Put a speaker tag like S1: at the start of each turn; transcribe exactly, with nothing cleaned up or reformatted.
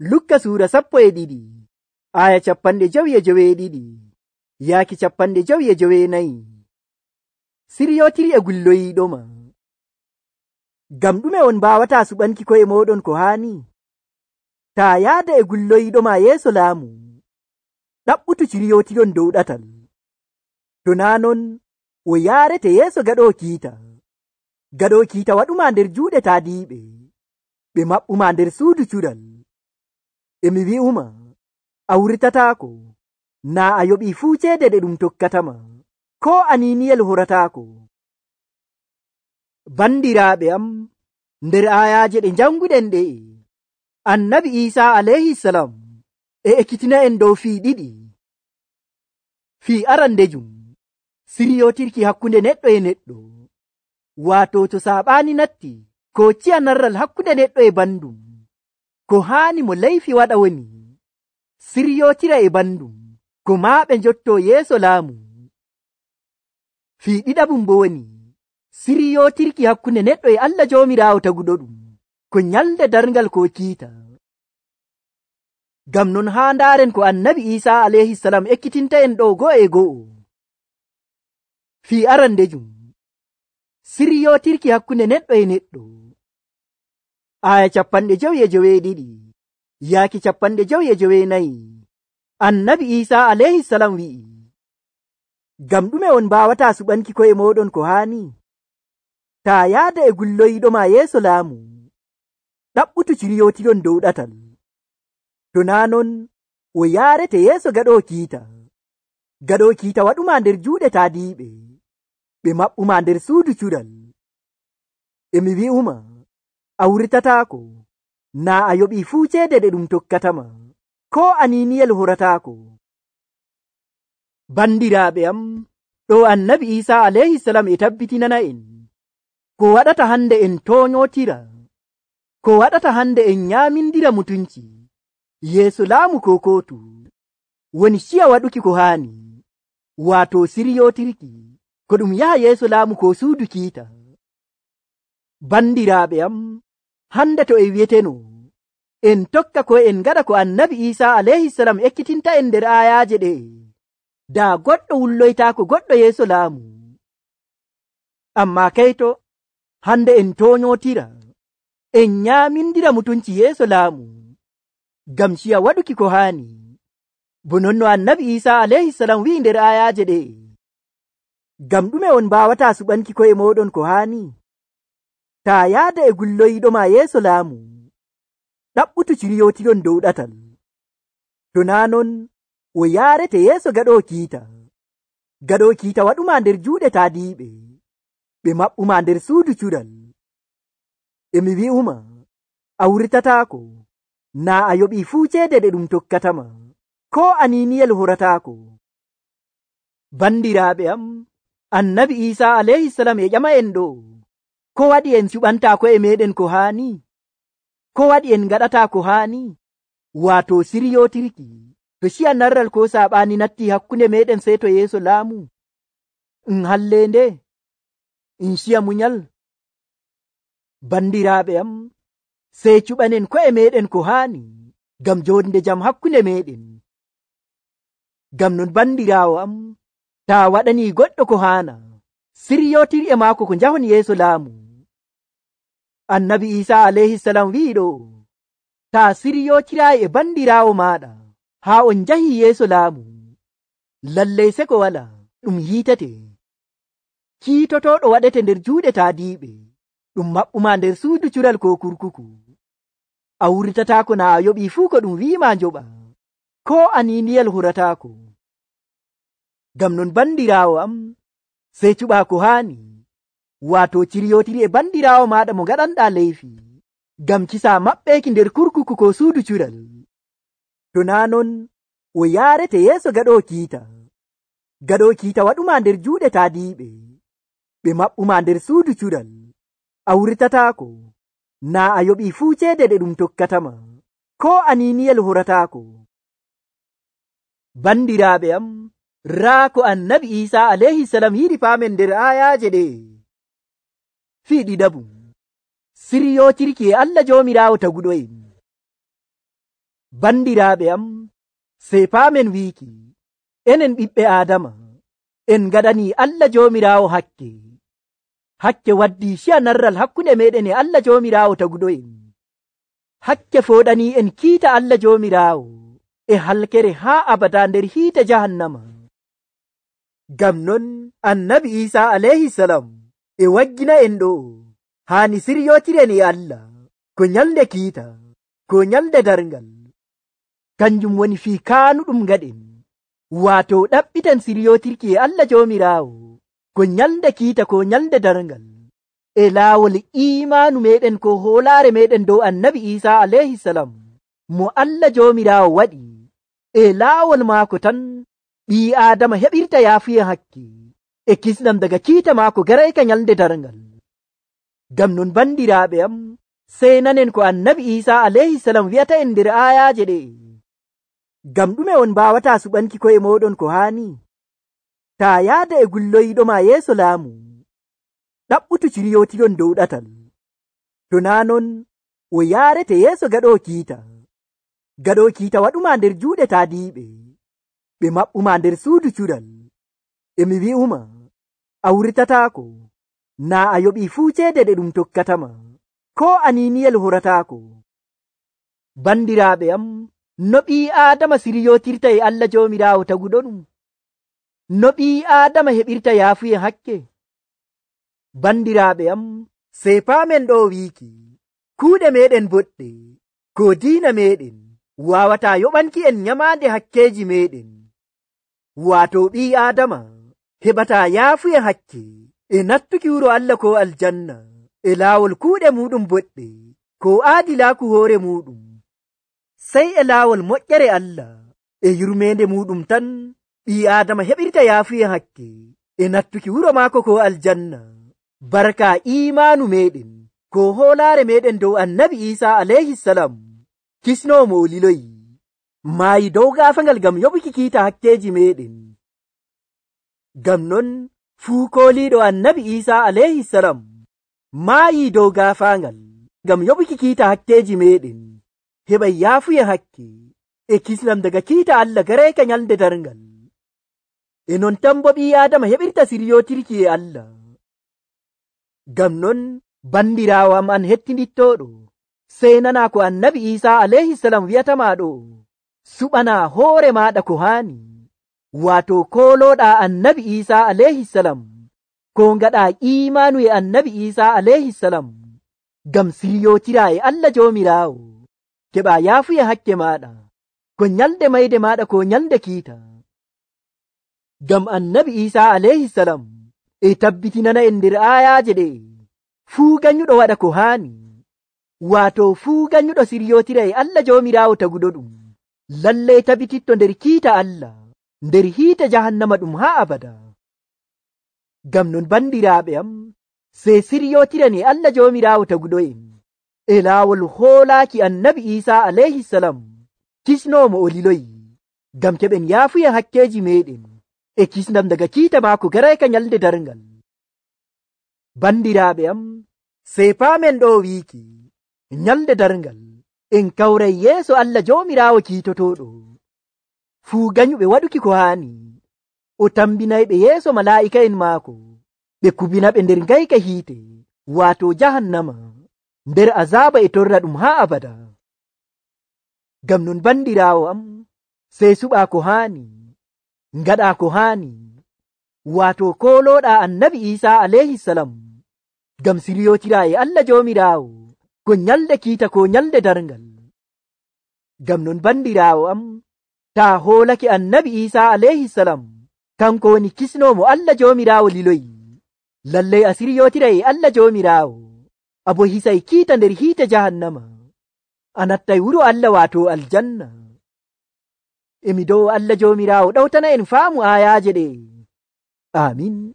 S1: Lukka suura sappo e ɗiɗi aya capanɗe jowi e joweeɗiɗi yaaki capanɗe jowi e joweenayi. Siryotiri e gulloyiiɗoma. Ngam ɗume on mbaawata suɓanki ko'e mooɗon ko haani? Taa yaada e gulloyiiɗoma yeeso laamu, ɗaɓɓutu ciryotiron dow ɗatal. To naa non o yaarete yeeso gaɗoo kiita. Gaɗoo kiita waɗuma nder juuɗe taadiiɓe, ɓe maɓɓuma nder suudu cuɗal. E mi wi'uma, a wurtataako, naa a yoɓii fuu ceede ɗe ɗum tokkatama, koo aniiniyel horataako. Bandiraaɓe am, nder aayaaje ɗe njannguɗen ɗe'e, Annabi Iisaa alayhisalam e ekkitina'en dow fii ɗiɗi. Fii arandejum, siryotirki hakkunde neɗɗo e neɗɗo, waato to saaɓaani natti ko ciya narral hakkunde neɗɗo e bandum, ko haani mo leyfi waɗa woni siryotira e bandum, ko maaɓe njottoo yeeso laamu. Fii ɗiɗaɓum bo woni siryotirki hakkunde neɗɗo e Allah Joomiraawo taguɗo ɗum, ko nyalde darngal ko kiita. Ngam non haa ndaaren ko Annabi Iisaa alayhisalam ekkitinta en ɗo go'o e go'o. Fii arandejum, siryotirki hakkunde neɗɗo e neɗɗo. Aya capanɗe jowi e joweeɗiɗi yaaki capanɗe jowi e joweenayi. Annabi Iisaa alayhisalam wi'i, ngam ɗume on mbaawata suɓanki ko'e mooɗon ko haani? Taa yaada e gulloyiiɗoma yeeso laamu, ɗaɓɓutu ciryotiron dow ɗatal. To naa non o yaarete yeeso gaɗoo kiita. Gaɗoo kiita waɗuma nder juuɗe taadiiɓe, ɓe maɓɓuma nder suudu cuɗal. E mi wi'uma, a wurtataako, naa a yoɓii fuu ceede ɗe ɗum tokkatama, koo aniiniyel horataako. Bandiraaɓe am, ɗo Annabi Iisaa alayhisalam e tabbitinana en ko waɗata hande en tooñootira, ko waɗata hande en nyaamindira mutunci yeeso laamu ko kootu, woni ciya waɗuki ko haani, waato siryotirki ko ɗum yaha yeeso laamu ko suudu kiita. Bandiraaɓe am, hande to e wi'eteno en tokka ko en gaɗa ko Annabi Iisaa alayhisalam ekkitinta en nder aayaaje ɗe, daa goɗɗo wulloytaako goɗɗo yeeso laamu. Ammaa kayto, hande en tooñootira, en nyaamindira mutunci yeeso laamu, ngam ciya waɗuki ko haani, bo non no Annabi Iisaa alayhisalam wi'i nder aayaaje ɗe. Ngam ɗume on mbaawata suɓanki ko'e mooɗon ko haani? Taa yaada e gulloyiiɗoma yeeso laamu, ɗaɓɓutu ciryotiron dow ɗatal. To naa non o yaarete yeeso gaɗoo kiita. Gaɗoo kiita waɗuma nder juuɗe taadiiɓe, ɓe maɓɓuma nder suudu cuɗal. E mi wi'uma, a wurtataako, naa a yoɓii fuu ceede ɗe ɗum tokkatama, koo aniiniyel horataako. Bandiraaɓe am, Annabi Iisaa alayhisalam e ƴama en ɗo, ko waɗi en cuɓantaa ko'e meeɗen ko haani? Ko waɗi en ngaɗataa ko haani? Waato siryotirki to ciya narral ko saaɓaani natti hakkunde meeɗen sey to yeeso laamu. En halleende, en ciya munyal. Bandiraaɓe am, sey cuɓanen ko'e meeɗen ko haani, ngam joonde jam hakkunde meeɗen. Ngam non bandiraawo am, taa waɗanii goɗɗo ko haana, siryotir e maako ko njahon yeeso laamu. Annabi Iisaa alayhisalam wi'i ɗo, taa siryotiraayi e bandiraawo maaɗa haa on njahii yeeso laamu, lallay seko wala ɗum hiitete. Kiitotooɗo waɗete nder juuɗe taadiiɓe, ɗum maɓɓuma nder suudu cural ko kurkuku. A wurtataako naa a yoɓii fuu ko ɗum wi'ima njoɓa, koo aniiniyel horataako. Ngam non bandiraawo am, sey cuɓaa ko haani, waato ciryotiri e bandiraawo maaɗa mo ngaɗanɗaa leyfi, ngam kisaa maɓɓeeki nder kurkuku ko suudu cural. To naa non o yaarete yeeso gaɗoo kiita. Gaɗoo kiita waɗuma nder juuɗe taadiiɓe, ɓe maɓɓuma nder suudu cuɗal. A wurtataako, naa a yoɓii fuu ceede ɗe ɗum tokkatama, koo aniiniyel horataako. Bandiraaɓe am, raa ko Annabi Iisaa alayhisalam yiɗi paamen nder aayaaje ɗe. Fii ɗiɗaɓum, siryootirki e Allah Joomiraawo taguɗo en. Bandiraaɓe am, sey paamen wiiki enen ɓiɓɓe Aadama en ngaɗani Allah Joomiraawo hakke. Hakke waddi ciya narral hakkunde meɗen e Allah Joomiraawo taguɗo'en. Hakke fooɗani en kiita Allah Joomiraawo e halkere haa abada nder hiite jahannama. Ngam non annabi Iisaa alayhi salam e waggina en ɗo haani siryotiren e Allah ko nyalde kiita, ko nyalde darngal. Kanjum woni fii kaanuɗum ngaɗen, waato ɗaɓɓiten siryotirki e Allah Joomiraawo ko nyalde kiita, ko nyalde darngal e laawol iimaanu meɗen ko hoolaare meɗen dow annabi Iisaa alayhi salam mo Allah Joomiraawo waɗi e laawol maako tan ɓii Aadama heɓirta yaafuye hakke e kisnam daga kiita maako garayka nyalde darngal. Ngam non bandiraaɓe am, sey nanen ko annabi Iisaa alayhi salam wi'ata en nder aayaaje ɗe. Ngam ɗume on mbaawata suɓanki ko'e moɗon ko haani? Taa yaada e gulloyiɗo ma yeeso laamu, ɗaɓɓutu ciryotiron dow ɗatal. To naa non o yaarete yeeso gaɗo kiita. Gaɗo kiita waɗuma nder juuɗe taadiiɓe, ɓe maɓɓuma nder suudu cuɗal. Emi wi'uma a wurtataako, naa a yoɓii fuu ceede ɗe ɗum tokkatama, ko aniiniyel horataako. Bandiraaɓe am, no ɓii Aadama siryotirta e Allah Joomiraawo taguɗo ɗum? No ɓii Aadama heɓirta yaafuye hakke? Bandiraaɓe am, sey paamen ɗo wiiki kuuɗe meɗen boɗɗe ko diina meɗen waawata yoɓanki en nyamaande hakkeeji meɗen. Waato ɓii Aadama heɓata yaafuye hakke e nattuki wuro Allah ko aljanna e laawol kuuɗe muɗum boɗɗe ko aadilaaku hoore muɗum, sey e laawol moƴƴere Allah e yurmeende muɗum tan ɓii Aadama heɓirta yaafuye hakke e nattuki wuro maako ko aljanna barka iimaanu meɗen ko hoolaare meɗen dow annabi Iisaa alayhi salam, kisnoomo o liloyi, maayi dow gaafangal ngam yoɓuki kiita hakkeeji meɗen. Ngam non fuu kooliiɗo annabi Iisaa alayhi salam maayi dow gaafangal ngam yoɓuki kiita hakkeeji meɗen, heɓay yaafuye hakke e kisnam daga kiita Allah garayka nyalde darngal. E non tan bo ɓii Aadama heɓirta siryotirki e Allah. Ngam non bandiraawo am an hettindittooɗo, sey nana ko annabi Iisaa alayhi salam wi'atama ɗo, suɓana hoore maɗa ko haani, waato koolooɗa annabi Iisaa alayhi salam ko ngaɗa iimaanu e annabi Iisaa alayhi salam ngam siryotira e Allah Joomiraawo, keɓa yaafuye hakke maɗa ko nyalde mayde maɗa ko nyalde kiita. Ngam annabi Iisaa alayhi salam e tabbitinana en nder aayaaje ɗe fuu ganyuɗo waɗa ko haani, waato fuu ganyuɗo siryotira e Allah Joomiraawo taguɗo ɗum, lallay tabititto nder kiita Allah nder hiite jahannama ɗum haa abada. Ngam non bandiraaɓe am, sey siryotiran e Allah Joomiraawo taguɗo en e laawol hoolaaki annabi Iisaa alayhi salam, kisnoomo o liloyi, ngam keɓen yaafuye hakkeeji meɗen e kisnam daga kiita maako garayka nyalde darngal. Bandiraaɓe am, sey paamen ɗo wiiki nyalde darngal en kawray yeeso Allah Joomiraawo kiitotoɗo, fuu ganyuɓe waɗuki ko haani, o tambinayɓe yeeso malaa'ika'en maako, ɓe kubinaɓe nder ngayka hiite, waato jahannama, nder azaaba e torra ɗum haa abada. Ngam non bandiraawo am, sey suɓa ko haani, ngaɗa ko haani, waato koolooɗa annabi Iisaa alayhi salam ngam siryotira e Allah Joomiraawo ko nyalde kiita ko nyalde darngal. Ngam non bandiraawo am, taa hoolake annabi Iisaa alayhi salam kanko woni kisnoomo Allah Joomiraawo liloyi, lallay a siryotira e Allah Joomiraawo, abo hisay kiita nder hiite jahannama, a nattay wuro Allah waato aljanna. Emi dow Allah Joomiraawo ɗawtana en faamu aayaaje ɗe. Amin.